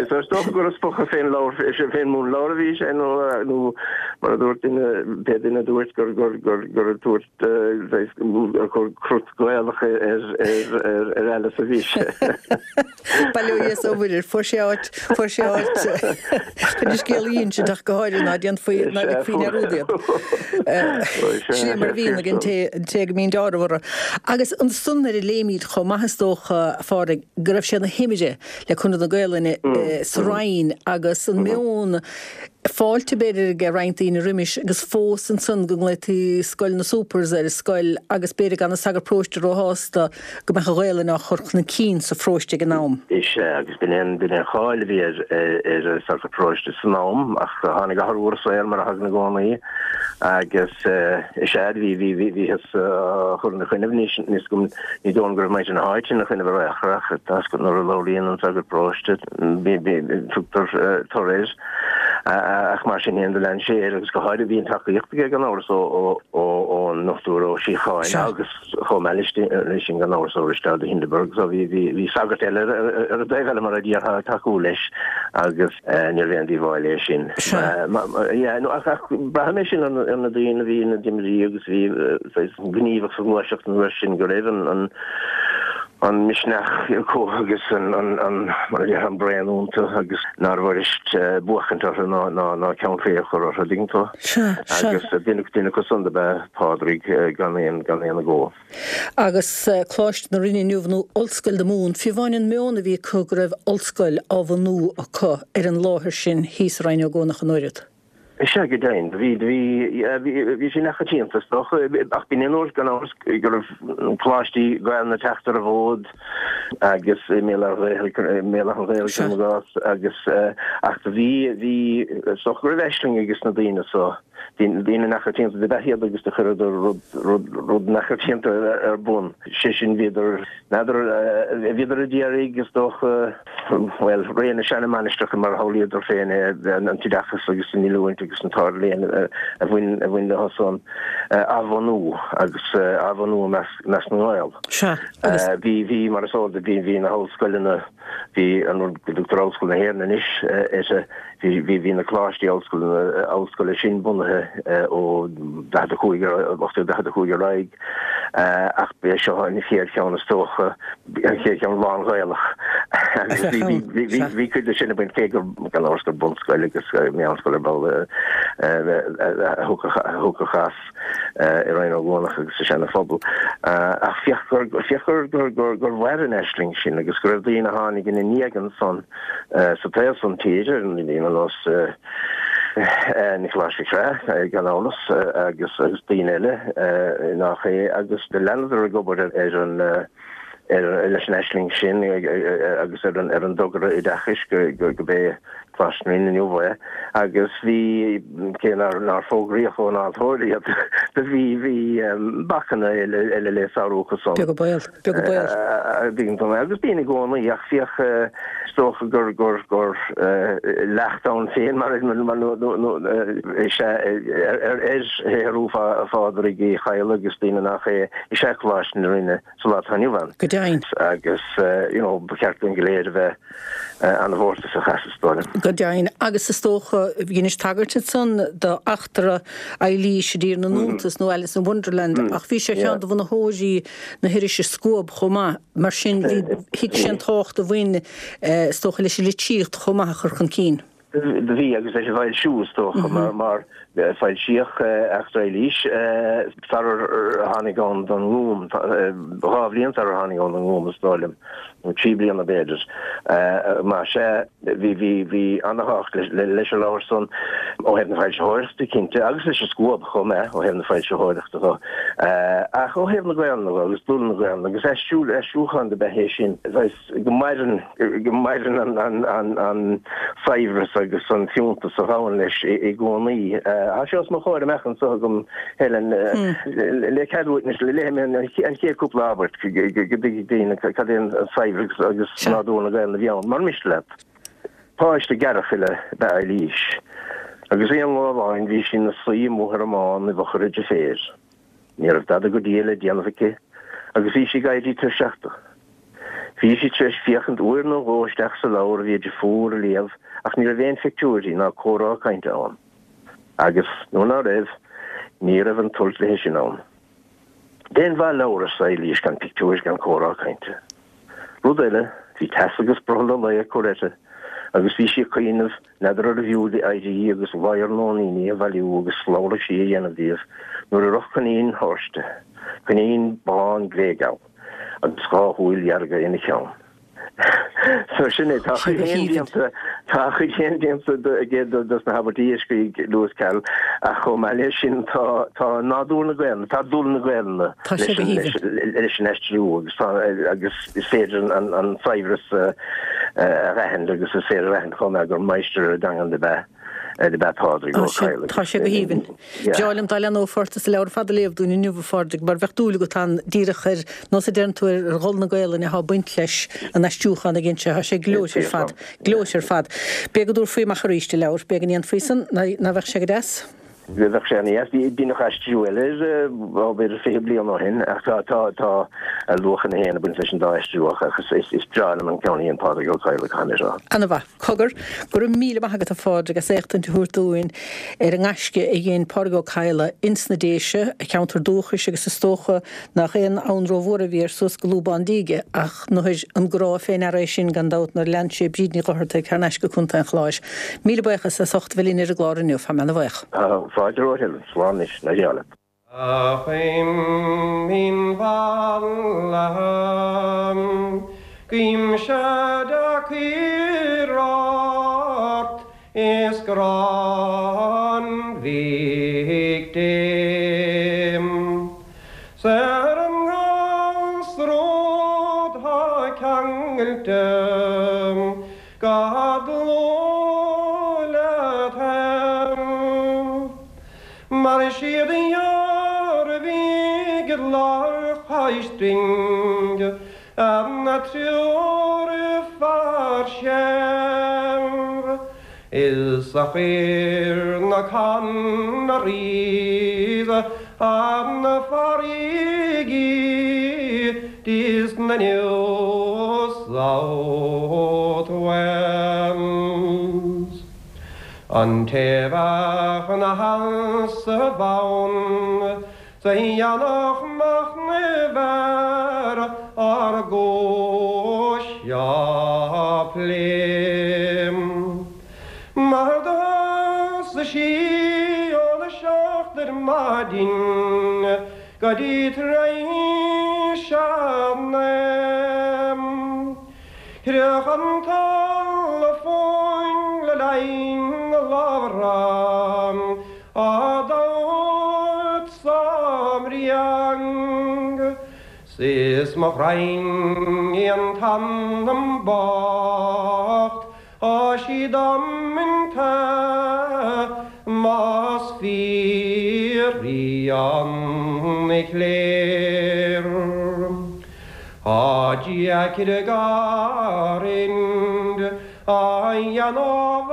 Is dócha gur ag spochadh fén leabhar, fén múnleabhar a bhí sé nó nó mar a dúirt duine, pé duine a dúirt gur gur gur gur ag tabhairt gur cur crut Gaelach ar ar ar ar Alice a bhí sé. Bail ó Dhia is ó Mhuire, fuair sé áit, fuair sé áit chun an scéal a insint ach go háirithe ná déanfaí ná ligfí dearúd iad. Sin é mar a bhíonn ag an té an té go mbíonn deáramh orthu. Agus ansan nuair a léimid chomh maith is dócha, a Phádraig, go raibh sé ina thimire le Conradh na Gaelainne sa Rinn agus an meon fáilte b'fhéidir ag roinnt daoine roimis agus fós ansan go nglaotaí Scoil na Supers ar an scoil agus b'fhéidir gan an sagart paróiste róshásta go mbeadh an Ghaelainn á chur chun cinn sa pharóiste ag an am. Is ea, agus b'in é an cháil a bhí ar an sagart paróiste san am ach tháinig athrú ar an saol mar a thagann i gcónaí agus is ea, bhí, bhí, bhíothas á chur ina choinnibh, ní ní dóigh liom go raibh muintir na háite ina choinnibh ar aon chor ach tá a fhios agat nuair a labhraíonn an sagart paróiste tugtar tor air ach mar sin féin do lean sé air agus go háirithe bhí an tacaíocht aige gan amhras ón nDochtúir Ó Síocháin agus chomh maith leis sin gan amhras ó Risteard de Hindeberg so bhí bhí sagart eile ar an dtaobh eile mar a déarfá ag tacú leis agus ní raibh aon díobháil é sin. Ach braithim é sin ar na daoine a bhí ina dtimirí agus a bhí gníomhach sa ghluaiseacht an uair sin go raibh an an misneach acu agus an mar a déarfá an braon iontu agus nárbh fhuirist buachaint orthu ná ná ceann faoi a chur orthu, dtuigeann tú. Agus duine duine acu san dob ea Pádraig gan aon gan aon agó. Agus Coláiste na Rinne inniu nó Ollscoil na Mumhan, fiú amháin an meon a bhí acu go raibh ollscoil á bhunú acu ar an láthair sin thíos i Rinn Ó gCuanach an oiread. Is ea, go deimhin. Bhí, bhí, bhí sé neamhchoitianta, is dócha, ach b'in an uair, gan amhras, go raibh coláistí Gaelainne ag teacht ar an bhfód agus i mBéal Átha an Ghaorthaidh, i mBéal Átha an Ghaorthaidh, cuirim i gcás, agus, ach do bhí, bhí, is dócha go raibh aisling ages na daoine so, daoine neamhchoitianta dob ea iad agus do chuireadar rud, rud, rud neamhchoitianta ar bun. Sé sin, bhíodar, n'fheadar, bhíodar a d'iarraidh, is dócha, bhuel, ré na seana-mainistreacha mar a shamhlaíodar féin é, an t-oideachas agus an oiliúint agus an t-ardléann a bhain a bhain leo san a athbhunú agus a athbhunú i measc i measc na nGael. Sea, agus. Bhí, bhí, mar is eol duit, bhí, bhí na hollscoileanna, bhí an rud go dtugtar Ollscoil na hÉireann anois uirthi, bhí, bhí, bhí na coláistí ollscoileanna, ollscoile sin bunaithe ó daichead a cúig ar, ocht déag daichead a cúig ar aghaidh ach b'é seo an chéad cheann is dócha, an chéad cheann lán-Ghaelach Agus bhí cuid de sin ag baint cé gur gan amhras gur bunscoil agus meánscoil ar ball a thiocfadh as i Rinn Ó gCuanach agus sa Seana Phobal. Ach féach gur féach gur gur gur gur mhair an aisling sin agus go raibh daoine a tháinig ina ndiaidh ansan sa taobh san tíre, daoine ar nós Nioclás Mhic Craith gan amhras agus agus daoine eile nach é agus do leanadar ag obair ar an ar leis an aisling sin agus ar an ar an dtogra oideachais go go go b'é Coláiste na Rinne inniu é agus bhí cé nár nár fógraíodh ón altóir iad do bhí bhí bacanna eile eile le sárú acu san. Beag an baol, beag an baol. Bíonn agus bíonn i gcónaí ach féach is dócha gur gur gur leacht ann féin mar mar nó nó is ea ar ar shaothrú Phádraig Uí Chadhla agus daoine nach é is ea Coláiste na Rinne sa lá atá inniu ann. Go deimhin. Agus you know ba cheart dúinn go léir a bheith an-mhórtasach as is dóigh liom. Go deimhin. Agus is dócha dheinis tagairt ansan do Eachtra Eilís i dTír na nIontas nó Alice in Wonderland ach bhí sé ar cheann de bhunaitheoirí na hirise Scuab chomh maith. Mar sin bhí thuig sé an tábhacht a bhain is dócha leis an litríocht chomh maith a chur chun cinn. Do bhí agus leis an bhfoilsiú is dócha mar mar foilsíodh Eachtra Eilís sarar tháinig ann don nGúm, dhá bhliain sarar tháinig ann don nGúm is dóigh liom, nó trí bliana b'fhéidir. Mar sea bhí bhí bhí ana-thábhacht leis an leabhar san ó thaobh na foilsitheoireachta cinnte agus leis an Scuab chomh maith ó thaobh na foilsitheoireachta dho. Ach ó thaobh na Gaelainne dho agus dul na Gaelainne agus aistriú aistriúchán do b'ea é sin. go maireann go maireann an an an an saibhreas agus an fiúntas a ghabhann leis i gcónaí. Tá sé os mo chomhair amach anseo agam Helen le cead uait anois léifidh mé an chéad cúpla abairt go dtuigfidh daoine cad é an saibhreas agus nádúr na Gaelainne a bhí ann. Mura miste leat. Páiste gearrchaile ab ea Eilís agus aon lá amháin bhí sí ina suí amuigh ar an mbán i bhfochair a deirféar. Ní raibh dada go diail le déanamh aici agus bhí sí ag éirí tuirseach de. Bhí sí tar éis féachaint uair nó dhó isteach sa leabhar a bhí a deirfiúr a léamh ach ní raibh aon phictiúirí ná comhrá cainte ann. Agus, nuair ná raibh, ní raibh an toirt léi sin ann. D'aon mhaith leabhar, arsa Eilís, gan pictiúir gan comhrá cainte. Rud eile, bhí teas agus brothall an lae ag cur uirthi agus bhí sí ag cuimhneamh n'fheadar arbh fhiú di éirí agus ladhar nóiníní a bhailiú agus slabhra sí a dhéanamh díobh nuair a rith coinín thairsti, coinín bán gléigeal. agus dhá shúil dhearga ina cheann. So sin é, tá a chuid féin déanta, tá a chuid féin déanta aige dos na habairtí a scrígh Lewis Carroll ach chomh maith leis sin tá, tá nádúr na Gaelainne, tá dul na Gaelainne Tá sé go leis haoibhinn. an, leis an aistriú agus tá, agus is féidir an, an saibhreas a aithint agus is féidir a aithint chomh maith gur máistir ar an dteangain ab ea ab ea Pádraig Ó Cadhla. Tá sé go haoibhinn. Breá liom dá leathnófá ort is an leabhar ar fad a léamh dúinn inniu, a Phádraig, mar bheadh dúil agat ann díreach ar nós a deireann tú ar dhul na Gaelainne atá ag baint leis an aistriúchán a dhein sé. Tá sé gleoite ar fad. Gleoite ar fad. B'fhéidir go dtabharfaí amach arís an leabhar. B'fhéidir go ndéanfaí san. Ná bheadh sé go deas? Bheadh sé ana-dheas. Deineadh aistriú eile air, ó b'fhéidir fiche bliain ó shin ach tá tá tá a luachanna féin ag baint leis an dá aistriú ach is is breá liom an ceann a dhein Pádraig Ó Cadhla, caithfidh mé a rá. Ana-mhaith. Cogar, go raibh míle maith agat a Phádraig as éachtaint a thabhairt dúinn ar an ngaisce a dhein Pádraig Ó Cadhla ins na Déise, a cheantar dúchais agus is dócha nach aon fhonn rómhór a bhí air suas go Lúbán Díge ach nuair an grá fé ndeara é sin gan dabht nuair a lean sé Bríd Ní Dhochartaigh thar n-ais go Contae an Chláir. Míle buíochas as ucht a bheith linn ar an gclár inniu. Tá mé ana-bhuíoch. Tá fáilte romhat Helen. Slán anois. Ná geall leat. A chuimhin mhallaithe, guímse deacair ort is grá an Mhic Dé. 'S ar an nGasróid thá ceangailte go dlúth leat fhéin. Mar siad a dhearbhaigh i lár Choisrinn an triúr fear séimh is a chuir na Conarys an farraige is na New South Wales. An té bheadh ina sheasamh ann 's a dhéanfadh machnamh ar ár gcúis Go dtí tar éis a naoi. Chreach an talamh fúinn le linn a labhra á dtabhairt sa mbriang. 'S is mo ghraidhin í an t-anam bocht Tá sí damanta más fíor í an chléir. Tá deacair a garrind a dhéanamh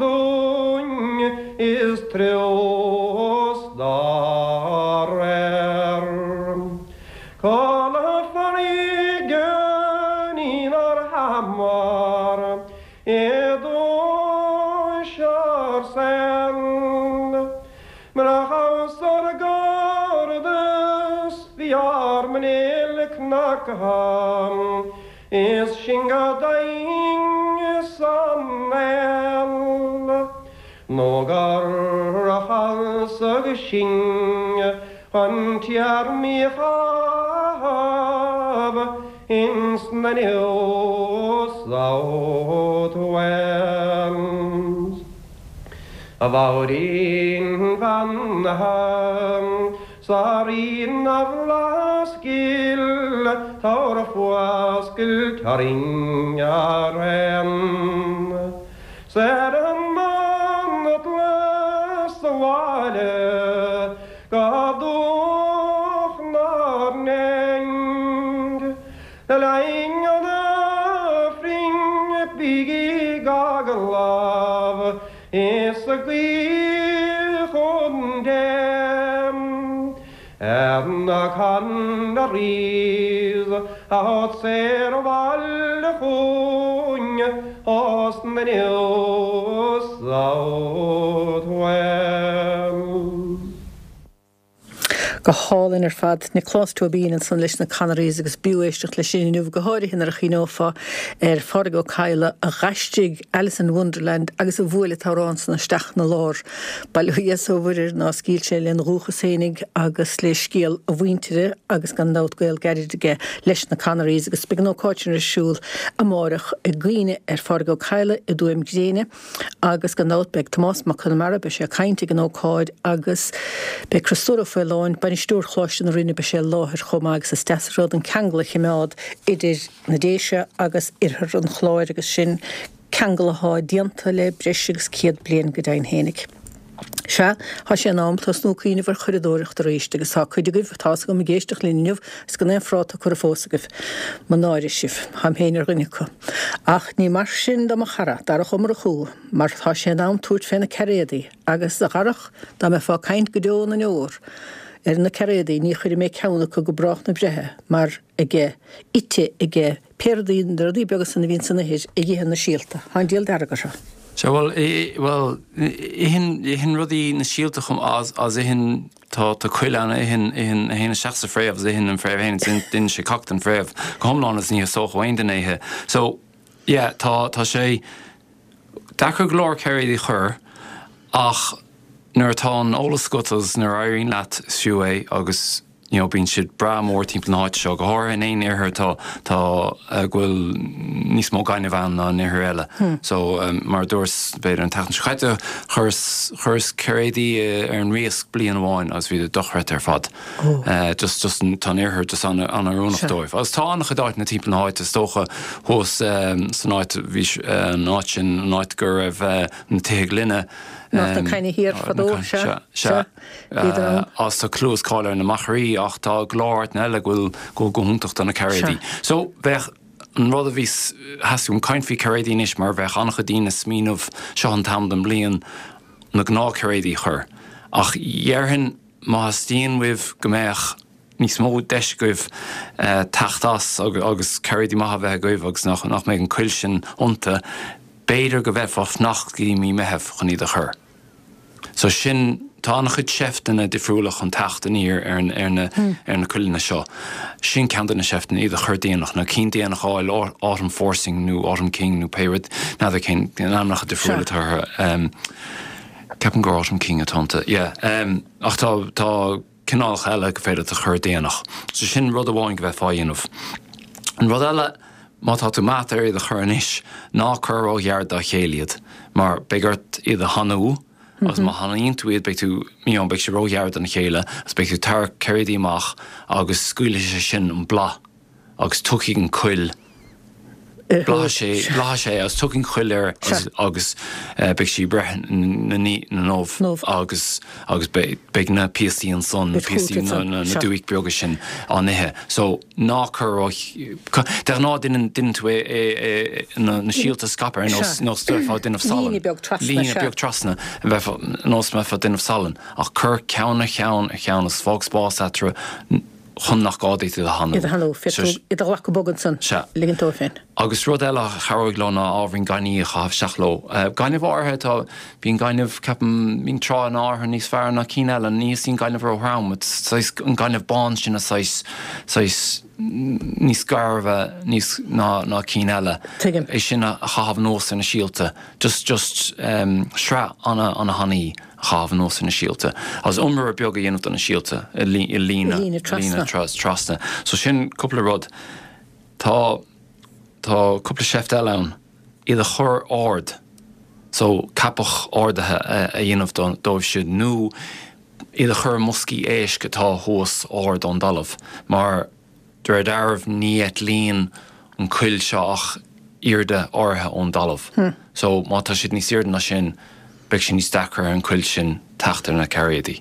dúinn is trios dá réir. Codladh farraige inár hamar i dtúis ár saoil. Murach amhras ár gcairdeas bhí ár muinéil cnagtha is sinn go daingean san néal. Nó gur falsadh sinn chun téarmaí a chaitheamh ins na New South Wales. A mháirín bheannaithe 's a Rí na bhFlaitheas gil tabhair fuascailt orainn araon. 'S ar an mbanaltras abhaile go dúch nár nding. Le linn an Aifrinn bígí ag agallamh is ag guí chun Dé. Ar na Canaries atá saor abhaile chugainn as na New South Wales. Go hálainn ar fad Nioclás Tóibín ansan leis na Canaries agus b'fhiú éisteacht leis sin inniu go háirithe nuair a chuimhneofá ar Phádraig Ó Cadhla a d'aistrigh Alice in Wonderland agus a bhuail an t-amhrán san isteach 'na lár. Bail ó Dhia is ó Mhuire nár scaoil sé lena dhúchas fhéinig agus le scéal a mhuintire agus gan dabht gaol gairid aige leis na Canaries agus beidh an ócáid sin ar siúl amárach i gcuimhne ar Phádraig Ó Cadhla i dTuaim Gréine agus gan dabht beidh Tomás Mac Conmara beidh sé ag caint ag an ócáid agus beidh Criostóir Ó Faoláin, bainisteoir Choláiste na Rinne beidh sé i láthair chomh maith agus is deas an rud an ceangal a choimeád idir na Déise agus oirthear an Chláir agus sin ceangal atá déanta le breis agus céad bliain go deimhin fhéinig. Sea, tá sé in am tosnú ag cuimhneamh ar churadóireacht arís agus tá cuid agaibh tá a fhios agam ag éisteacht linn inniu is gan aon phráta curtha fós agaibh. Mo náire sibh, táim féin ar dhuine acu. Ach ní mar sin do mo chara, Darach Ó Murchú, mar tá sé in am tabhairt fé na cairéadaí agus a Dharach dá mbeifeá ag caint go deo na ndeor ar na cairéadaí ní chuirfidh mé ceann acu go brách na breithe mar aige ite aige pé rudaí na rudaí beaga san a bhíonn san ithir ag ithe na síolta. Tá an diabhal dearg orthu. Sea bhuel bhuel itheann itheann rudaí na síolta chomh as as itheann tá tá coill ann a itheann itheann a théann isteach sa fréamh agus itheann an fréamh féin is itheann sé cac den fréamh go hiomlán is ní theastódh ó aon duine é ithe. So yeah tá tá sé deacair go leor cairéadaí a chur ach nuair atá an eolas agat agus nuair a éiríonn leat is fiú é agus you know bíonn siad breá mór timpeall na háite seo, go háirithe in aon oirthear tá tá go bhfuil níos mó gainimh ann ná in oirthir eile. So mar a dúras b'fhéidir an tseachtain seo caite chuireas chuireas cairéadaí ar an Riasc bliain amháin agus bhí siad dochreidte ar fad. Just just tá an oirthear just an-oiriúnach dóibh. Agus tá an-chuid áiteanna timpeall na háite is dócha thuas san áit bhí an áit sin an áit go raibh na tithe gloine, Na Cainne Thiar fadó, sea, sea, bhíodar ann. Agus tá clú is cáil ar na Machairí ach tá go leor áiteanna eile go bhfuil go go hiontach do na cairéadaí. So bheadh an rud a bhí theastaigh uaim caint faoi cairéadaí anois mar bheadh an-chuid daoine ag smaoineamh seo an t-am den bhliain na gnáth cairéadaí a chur. Ach dhéarfainn má theastaíonn uaibh go mbeadh níos mó deis agaibh teacht as agus cairéadaí maithe a bheith agaibh agus nach nach mbeidh an cuil sin iontu, B'fhéidir go bhféadfá fanacht go dtí mí Meitheamh chun iad a chur. So sin, tá an-chuid seifteanna difriúla chun teacht aniar ar ar na ar na cuileanna seo. Sin ceann de na seifteanna, iad a chur déanach, nó cinn déanach a fháil, Autumn Forcing nó Autumn King nó pé rud, n'fheadar cén ainmneacha difriúla atá orthu. Ceapaim gur Autumn King atá iontu, yeah. Ach tá, tá. cineálacha eile go féidir leat a chur déanach. So sin rud amháin go bheifeá a dhéanamh. An rud eile, má tá tú meáite ar iad a chur anois, ná cuir róghar dá chéile iad, mar beidh ort iad a thanú, agus má thanaíonn tú iad beidh tú, you know, beidh sé róghar dona chéile, agus beidh tú ag tarrac cairéidí amach agus scaoilfidh sé sin an bláth agus tiocfaidh an cuil Bláthaigh sé, bláthaigh sé agus tiocfaidh an chuil air agus, agus beidh sí ag breith na n-ubh agus, agus beidh na píosaí ansan, na píosaí, na, na dúic beaga sin á n-ithe. So, ná cuir ró, de ghnáth déanann, déanann tú é, é, é, na, na síolta a scaipeadh ar nós, nós bheifeá ag déanamh salann. Líne beag trasna, Líne beag trasna, bheifeá, nós mbeifeá ag déanamh salann. Ach cuir ceann ar cheann ar cheann agus fág spás eatarthu. chun nach gá duit iad a thanú. Iad a thanú, féadfaidh tú iad a ghlacadh bog ansan, Sea. ligint dóibh féin. Agus rud eile a chabhróidh leo ná ábhairín gainimh a chaitheamh isteach leo. Gaineamh áirithe, tá, bíonn gaineamh, ceapaim, bíonn tránna áirithe níos fearr ná cinn eile, ní theastaíonn gaineamh ró-throm, saghas, an gaineamh bán sin a saghas, saghas níos gairbhe níos, ná, ná cinn eile. Tuigim. É sin a chaitheamh anuas ar na síolta, just, just, sraith ana, ana thanaí. a chaitheamh anuas ar na síolta agus iomaire beag a dhéanamh de na síolta i líne líne trasna. So sin cúpla rud. Tá tá cúpla seift eile ann. Iad a chur ard. So ceapach ardaithe a dhéanamh dóibh siúd nó iad a chur i mboscaí éisc atá thuas ard ón dtalamh mar De réir dealraimh ní eitlíonn an cuil seo ach airde áirithe ón dtalamh. So má tá siad níos airde ná sin, beidh sé níos deacra ar an cuil sin teacht ar na cairéidí.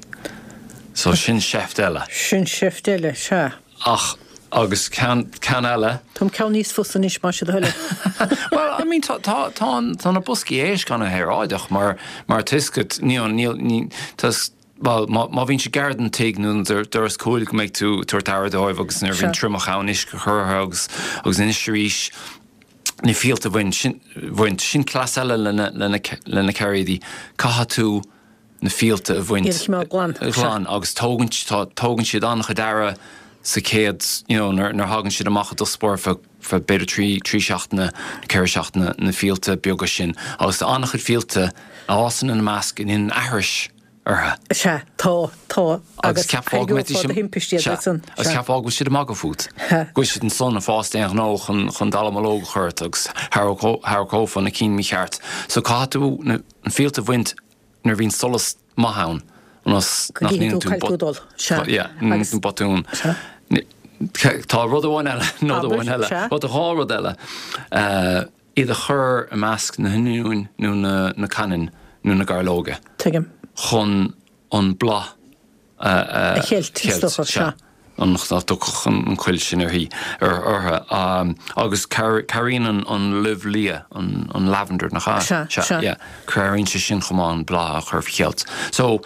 So sin seift eile. Sin seift eile, sea. Ach, agus ceann, ceann eile. Táim ceann níos fusa anois, más é do thoil é. Well, I mean, tá, tá, tá, tá na boscaí éisc ana-shaoráideach mar, mar tá 'fhios agat, níl, níl, ní, tá, Bhuel, má bhíonn siad gar don tigh nó don doras cúil go mbeidh tú ag tabhairt aire dóibh agus nuair a bhíonn triomach ann uisce a chur orthu agus agus anois arís na fíolta a bhaint, sin, bhaint, sin cleas eile lena, lena, lena cairéidí, caithfidh tú na fíolta a bhaint. Iad a choimeád glan. Glan agus tógann, tá, tógann siad an-chuid aire sa chéad, you know, nuair, nuair a thagann siad amach i dtosach báire feadh, feadh b'fhéidir trí, trí seachtaine, ceithre seachtaine na fíolta beaga sin agus tá an-chuid fíolta a fhásann ina measc a ndéanann aithris orthu. Sea, tá, tá, Agus agus ceapfá go mbeidís thairgeofá do thimpist iad Sea, ansan, agus sea. ceapfá go bhfuil siad ag magadh fút. Sea. Go bhfuil siad ansan ag fás d'aon ghnó chun, chun dallamullóg a chur ort agus tharracófá na cinn mícheart. So caithfidh tú na, na fíolta a bhaint nuair a bhíonn solas maith ann ionas Go nach gcífidh ndéanann tú tú cá bhfuil tú ag dul. Sea. Yeah, Agus, botún. sea. Tá rud amháin eile, nod Abair, amháin eile. sea. Bhuel, tá dhá rud eile. Iad a chur i measc na hoinniúin nó na, na cainne nó na gairleoige. Tuigim. chun an bláth a A cheilt, is dócha, sea. Ionas nach dtiocfadh an chuil sin uirthi, orthu. Agus cabhraíonn an luibh liath, an lavender, nach ea? Sea, sea. Yeah. Cabhraíonn sé sin chomh maith an bláth a chur faoi cheilt. So,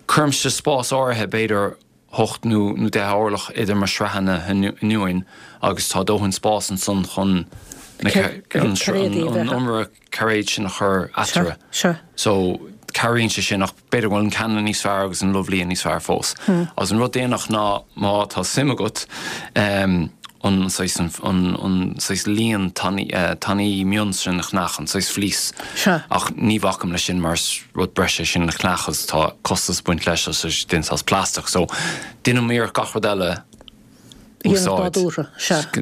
cuirimse spás áirithe, b'fhéidir hocht nó deich orlach idir mo shraitheanna oinniúin agus tá dóthain spáis ansan chun an iomaire cairéad sin a chur eatarthu. So, cabhraíonn sé sin ach b'fhéidir go bhfuil an canna níos fearr agus an luibh liath níos fearr fós. Agus an rud déanach ná má tá suim agat an saghas an saghas líon tanaí mion sin a cheannach, an saghas fleece. Ach ní bhacaim leis sin mar is rud breise é sin le ceannach agus tá costas ag baint leis agus tá sé déanta as plaisteach. So, déanaim iarracht gach rud eile a úsáid.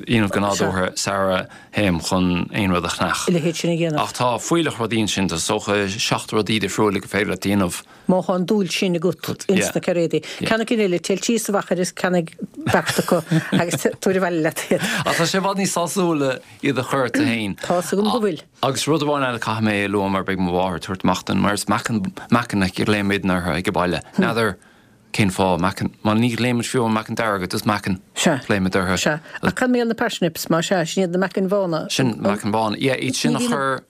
Dhéanamh go nádúrtha sara théim chun aon rud a cheannach. A leithéid sin a dhéanamh. Ach tá fuílleach rudaí ansin, tá is dócha seacht rudaí difriúla gur féidir leat a dhéanamh. Má tá an dúil sin agat ins na cairéidí. Ceannaigh cinn eile, téir síos sa mhachaire is ceannaigh beart acu agus tabhair abhaile leat iad. Ach tá sé i bhfad níos sásúla iad a chur tú féin. Tá's agam go bhfuil. Agus rud amháin eile caithfidh mé a lua mar beidh mo mháthair ag tabhairt amach dom mar is meacan, meacan a ghlaoimidne orthu ag baile. N'fheadar Cén fáth? Meacan, má ní ghlaoimid fiú an meacan dearg, just meacan Sea. glaoimid orthu. Sea. Ach cad mar gheall ar na parsnips, má sea, sin iad na meacain bhána. Sin meacain bhána, yeah, iad sin a chur.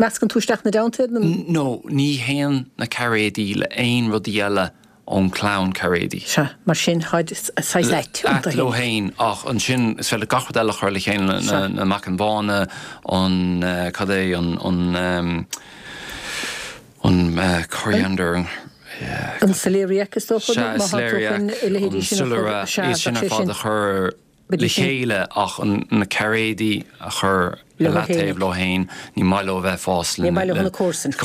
Meascann tú isteach ina dteannta iad nó? No, ní théann na cairéidí le aon rudaí eile ón chlann cairéidí. Sea, mar sin táid saghas ait iontu Ait leo féin, ach ansin is féidir gach rud eile a chur le chéile, Sea. na meacain bhána, an, cad é, an, an, an coriander, an. An celeriac is dócha Sea, nó má tá tú celeriac, chun a leithéidí an sin a chur, soilire, sea, iad sin bheadh ar sé fad sin. a chur le chéile ach na cairéidí a chur le leataobh leo féin, ní maith leo bheith fás le Ní maith leo na comharsain.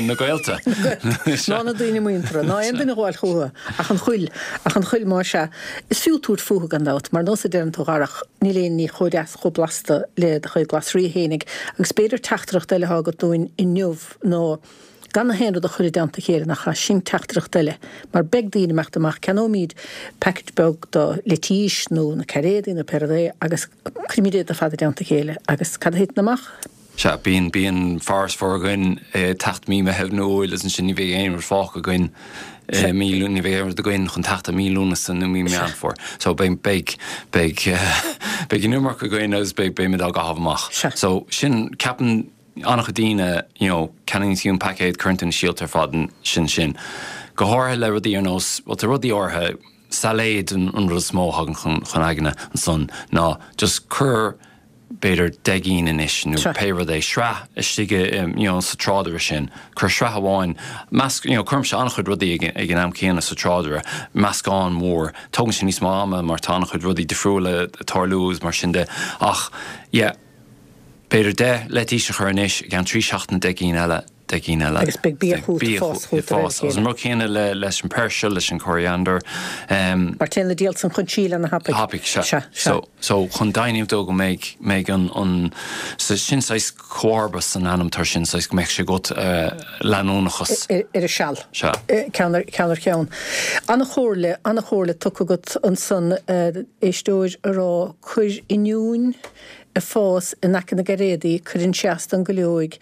Na gaolta. Ná na daoine muinteartha, ná aon duine a ghabháil chucu ach an choill, ach an choill más ea. Is fiú tabhairt fúthu gan dabht, mar nós a deireann tú a Dharach, níl aon ní chomh deas chomh blasta le do chuid glasraí fhéinig agus b'fhéidir teachtaireacht eile atá agat dúinn inniu ná gan aon rud a chur i dteannta a chéile, nach ea? Sin teachtaireacht eile, mar beidh daoine imeacht amach, ceannóimid package beag do leitís nó na cairéadaí nó pé rud é agus cuirimid iad ar fad i dteannta a chéile agus cad a thiteann amach? Sea, bíonn, bíonn farasbarr againn ag teacht mí Meitheamh nó Iúil agus ansin ní bheidh aon rud fágtha againn i mí, ní bheidh aon rud againn chun teacht i mí Lúnasa nó mí Meán Fómhair. So beidh, beidh, beidh, beidh an iomarca againn agus beidh, beimid á gcaitheamh amach. Sea. So sin, ceapann an-chuid daoine, you know, ceannaíonn tú an paicéad, cuireann tú na síolta ar fad sin sin. Go háirithe le rudaí ar nós, bhuel tá rudaí áirithe, sailéid an an rud is mó a thagann chun chun aigne ansan ná just cuir b'fhéidir deich gcinn anois nó Sure. pé rud é, sraith istigh i, you know, sa tráidire sin. Cuir sraith amháin, measc, you know, cuirimse an-chuid rudaí ag ag an am céanna sa tráidire, meascán mór. Tógann sé níos mó ama mar tá an-chuid rudaí difriúla ag tarlú agus mar sin de ach yeah, B'fhéidir deich leitís a chur anois, i gceann trí seachtaine deich gcinn eile, deich gcinn eile. Agus beidh bia chugat, Bia fás chugat de réir a fás. Agus chéile. an rud céanna le, leis an peirsil, leis an coriander. Mar téann na diallait san chun síl ana-thapaidh. Thapaidh, sea. Sea, sea. So, so chun deimhniú dó go mbeidh, mbeidh an, an, so sin saghas comharbas san ainm tar sin, saghas go mbeidh sé agat leanúnachas. Ar, ar a seal. Sea. Ceann ar, ceann ar cheann. Ana-chomhairle, ana-chomhairle tugtha agat ansan, éisteoir a rá, cuir oinniúin, ag fás in aice na gcairéadaí, cuireann sé as don gcuileoig,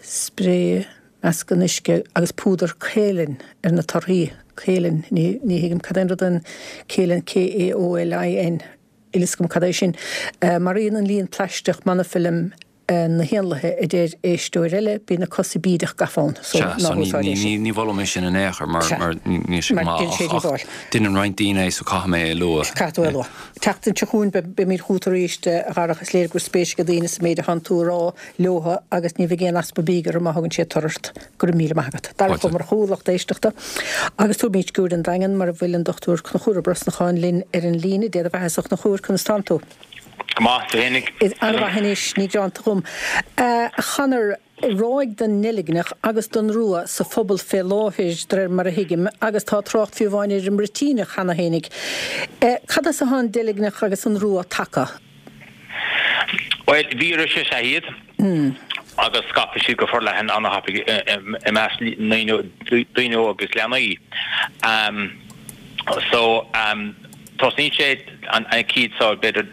spréigh meascán uisce agus púdar kaolin ar na torthaí. Kaolin, ní thuigim cad é an rud an kaolin, K-A-O-L-I-N, níl fhios agam cad é sin. Maraíonn an líon plaisteach monofilm na héanlaithe, a deir éisteoir eile, bíonn na cosa bídeach gafa ann, so Sea, ná so ní, húsáid ní, é sin. ní, ní mholaim é sin in aon chor mar, Sea. mar ní, níl sé go Mar maith déanann sé ach, ach díobháil. déanann roinnt daoine é so caithfidh mé é a lua. Caithfidh tú é a lua. Tseachtain seo chugainn be, beimid chugat arís, a Dharach, is léir go bhfuil spéis ag daoine sa méid a thánn tú a rá leotha agus ní bheidh aon easpa bídh orthu má thugann siad toradh ort. Go raibh míle maith agat. Darach Ó Fáilte. Murchú, lucht éisteachta. Agus tabharfaimid cuairt ar an Daingean mar a bhfuil an Dochtúir Conchúr Ó Brosnacháin linn ar an líne. Dé do bheatha-sa a Chonchúir, conas tánn tú? Go maith, tú fhéinig. Is an-mhaith anois, ní gearánta dhom. A Chonaire, ráig den ndeilgneach agus den rua sa phobal fé láthair, de réir mar a thuigim, agus tá trácht fiú amháin ar an mbruitíneach cheana fhéinig. Cad as atá an deilgneach agus an rua tagtha? Bhuel, víreas is ea iad agus scaipeann siad go forleathan an-thapaidh i measc daoine óga agus leanaí. So, tosnaíonn sé an chéad seo b'fhéidir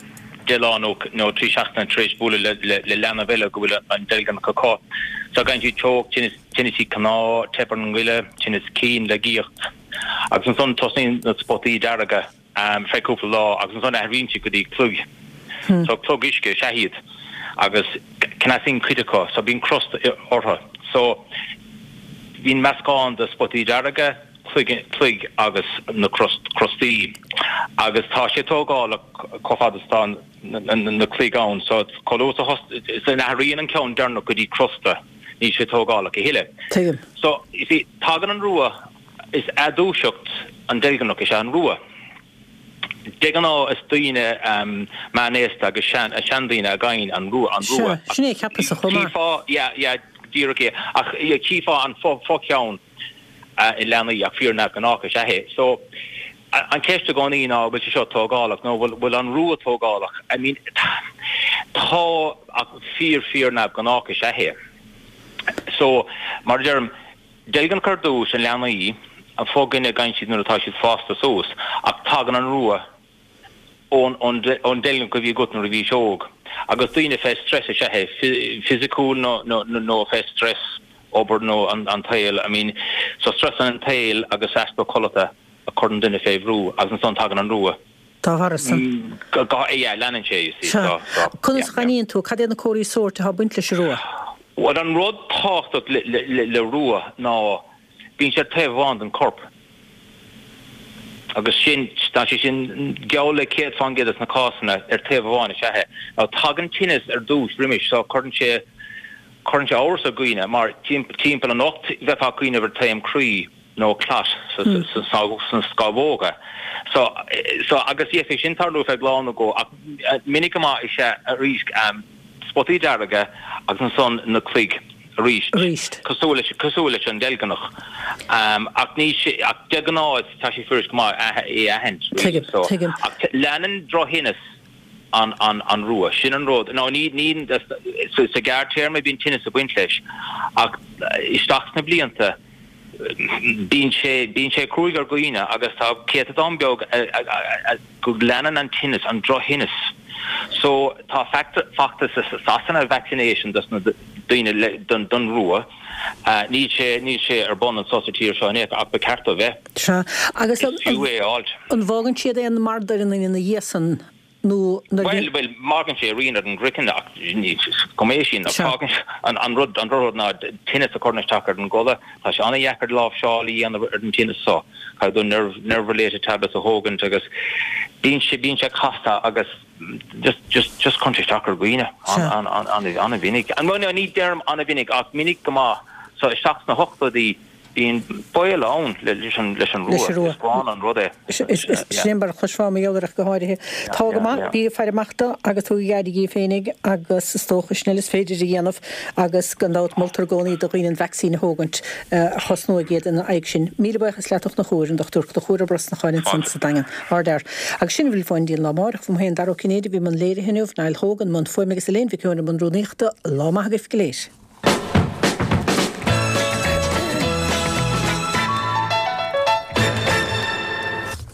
deich lá nó nó trí seachtaine tar éis bualadh le le leanbh eile go bhfuil an deilgneach acu. So gheibheann siad teocht, tinneas tinneas cnámh, teip ar an ngoile, tinneas cinn, laigeacht. Agus ansan tosnaíonn na spotaí dearga feadh cúpla lá agus ansan athraíonn siad go dtí cloig. So clog uisce is ea iad agus cneasaíonn cuid acu so bíonn crust orthu. So bíonn meascán de spotaí dearga, cloig agus na crostaí agus tá sé tógálach chomh fada is atá na cloig ann so chomh luath is a n-athraíonn an ceann deireanach go dtí crosta níl sé tógálach a thuilleadh. Tuigim. So you see tagann an rua is athdhúiseacht an deilgneach is ea an rua. De ghnáth is daoine meánaosta agus seandaoine a gheibheann an rua an rua. Sea, sin é a cheapas-sa chomh maith. Chífeá yeah yeah díreach é ach chífeá an fo-cheann i leanaí ach fíor-neamhghnách is ea é. So, an cheist i gcónaí ná bhfuil sé seo tógálach nó bhfuil bhfuil an rua tógálach? I mean, tá ach fíor fíor neamhghnách is ea é. So, mar a deirim, deilgneach ar dtús i leanaí, an fo-dhuine a gheibheann siad nuair atá siad fásta suas ach tagann an rua ón ón ón deilgneach a bhí agat nuair a bhís óg. Agus daoine fé stress is ea é, fisiciúil nó nó nó fé stress obair nó an an tsaoil, I mean, so stress an tsaoil agus easpa codlata a chuireann duine fé bhrú agus ansan tagann an rua. Dá bharr san. Go, go, yeah, leanann sé, you see, Sea. so, so, Conas yeah, a aithníonn tú, cad é na comharthaí sóirt atá ag baint leis an rua? Bhuel, an rud tábhachtach le, le, le, le rua ná bíonn sé ar taobh amháin den corp. Agus sin, tá sé sin geall le céad fán gcéad des na cásanna ar taobh amháin is ea é. Now tagann tinneas ar dtús roimis so cuireann sé, cuireann sé amhras ar dhaoine mar timpeall anocht bheifeá ag cuimhneamh ar taom croí nó clot sna scamhóga. So so agus bhí sé sin tarlú feadh lá nó dhó ach minic go maith is ea arís spotaí dearga agus ansan na cloig arís. Arís. Cosúil leis cosúil leis an deilgneach. Ach ní ach de ghnáth tá sé fuirist go maith é a aithint. Tuigim, So tuigim. ach leanann drochthinneas an an an rua. Sin an rud. Nó ní ní sa sa ghearrthéarma bíonn tinneas ag baint leis ach isteach sna blianta bíonn sé bíonn sé cruaidh ar dhaoine agus tá céatadán beag go leanann an tinneas, an drochthinneas. So tá feachtas i Sasana vaccination dos na daoine le don don rua. Níl sé níl sé ar bun anso sa tír seo in aon chor ach ba cheart dó bheith. Sea. Agus Is fiú é a fháilt. An bhfágann siad aon mardair i ndaoine ina dhiaidh san nó nuair a Bhuel, bhuel, maireann sé rian ar an gcraiceann ach ní cuma é sin. Sea. Fágann an, an rud, an rud ná tinneas a chuireann isteach ar an gcodladh. Tá sé an-dheacair láimhseáil a dhéanamh ar an tinneas so. Caithfidh tú nerve, nerve related tablets a thógaint agus bíonn sé, bíonn sé casta agus just, just, just cuireann sé isteach ar dhaoine Sea. an, an, an, an-mhinic. An, bhuel, ní deirim an-mhinic ach minic go maith. So isteach sna hochtóidí Bíonn baol ann leis an rua. Is gránna an rud é. Sin mar a chloisfeá mar gheall air ach go háirithe. Tá go maith, bí ag faire amach dó agus tugaigí aire dhíbh féinig agus is dócha sin uile is féidir a dhéanamh agus gan dabht moltar i gcónaí do dhaoine an vacsaín a thógaint a chosnóidh iad ina aghaidh sin. Míle buíochas leat a Chonchúir, an Dochtúir Conchúr Ó Brosnacháin ansan sa Daingean. Ardfhear. Agus sin a bhfuil fúinn go dtí an lá amárach. Fúm féin Dara Ó Cinnéide a bhí i mbun léirithe inniu, Niall Hogan i mbun fuaime agus Elaine Mhic Eoin i mbun rúnaíochta. Lá maith agaibh go léir.